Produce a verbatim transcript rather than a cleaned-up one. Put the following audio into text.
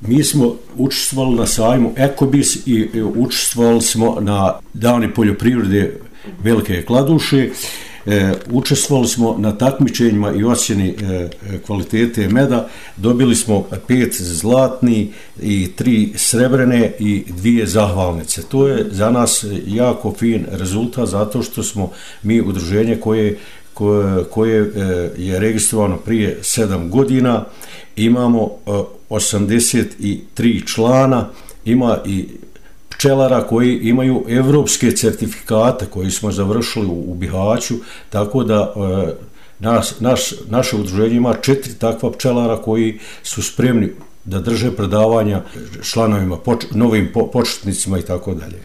mi smo učestvovali na sajmu Ekobis i učestvovali smo na Dani poljoprivrede Velike Kladuše. E, učestvovali smo na takmičenjima i ocjeni e, kvalitete meda, dobili smo pet zlatni i tri srebrene i dvije zahvalnice. To je za nas jako fin rezultat zato što smo mi udruženje koje, koje, koje e, je registrovano prije sedam godina, imamo e, osamdeset tri člana, ima i pčelara koji imaju evropske certifikate koji smo završili u, u Bihaću, tako da e, nas, naš, naše udruženje ima četiri takva pčelara koji su spremni da drže predavanja članovima, poč, novim po, početnicima i tako dalje.